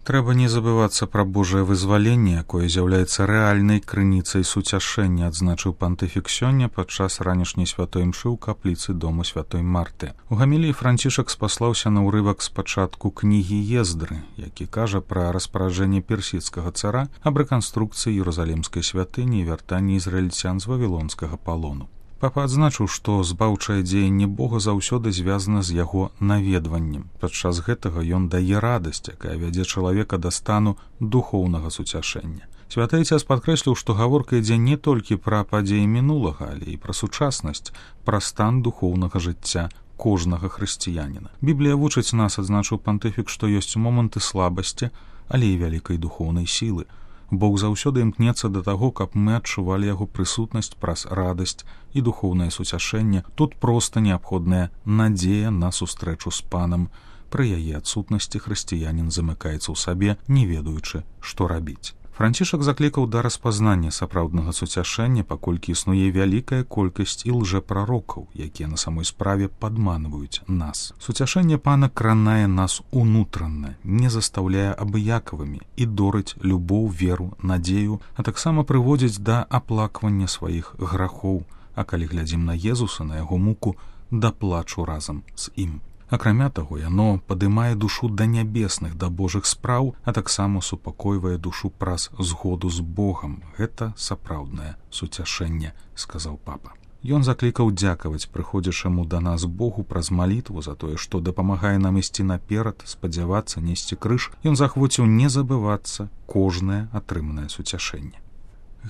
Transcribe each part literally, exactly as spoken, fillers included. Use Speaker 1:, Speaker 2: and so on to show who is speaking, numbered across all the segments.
Speaker 1: Трэба не забывацца пра Божае вызваленне, якое з'яўляецца рэальнай крыніцай суцяшэння, адзначыў пантыфік сёння падчас ранішняй святой імшы ў капліцы дома святой Марты. У гаміліі Францішак спаслаўся на ўрывак з пачатку кнігі Ездры, які кажа пра распараджэнне персідскага цара аб рэканструкцыі Іерусалімскай святыні і вяртанні ізраільцян з вавілонскага палону. Папа адзначыў, што збаўчае дзеянне Бога заўсёды звязана з яго наведваннем. Падчас гэтага ён дае радасць, якая вядзе чалавека да стану духоўнага суцяшэння. Святы Ацец падкрэсліў, што гаворка ідзе не толькі пра падзеі мінулага, але і пра сучаснасць, пра стан духоўнага жыцця кожнага хрысціяніна. Біблія вучыць нас, адзначыў пантыфік, што ёсць моманты слабасці, але і вялікай духоўнай сілы. Бог заўсёды імкнецца да таго, каб мы адчувалі яго прысутнасць праз радасць і духоўнае суцяшэнне. Тут проста неабходная надзея на сустрэчу з панам. Пры яе адсутнасці хрысціянін замыкаецца ў сабе, не ведаючы, што рабіць. Францішак заклікаў да распазнання сапраўднага суцяшэння, паколькі існуе вялікая колькасць і лжэпрарокаў, якія на самой справе падманваюць нас. Суцяшэнне пана кранае нас унутранна, не застаўляе абыякавымі і дорыць любоў, веру, надзею, а таксама прыводзіць да аплаквання сваіх грахоў, а калі глядзім на Езуса, на яго муку, да плачу разам з ім. Акрамя таго, яно падымае душу да нябесных, да Божых спраў, а таксама супакойвае душу праз згоду з Богам. Гэта сапраўднае суцяшэнне, сказаў папа. Ён заклікаў дзякаваць прыходзячаму да нас Богу праз малітву за тое, што дапамагае нам ісці наперад, спадзявацца, несці крыж. Ён захвоціў не забывацца кожнае атрыманае суцяшэнне.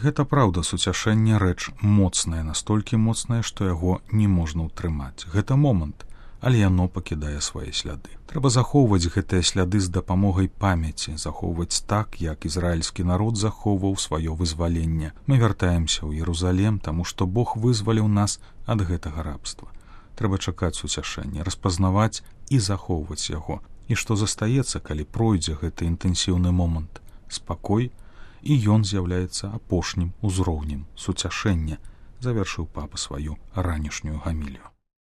Speaker 1: Гэта праўда, суцяшэнне рэч моцная, настолькі моцная, што яго не можна ўтрымаць. Гэта момант, але яно пакідае свае сляды. Трэба захоўваць гэтыя сляды з дапамогай памяці, захоўваць так, як ізраільскі народ захоўваў сваё вызваленне. Мы вяртаемся ў Іерусалім, таму што Бог вызваліў нас ад гэтага рабства. Трэба чакаць суцяшэння, распазнаваць і захоўваць яго. І што застаецца, калі пройдзе гэты інтэнсіўны момант? Спакой, і ён з'яўляецца апошнім узроўнем суцяшэння, завершыў папа сваю ранішнюю гамілію.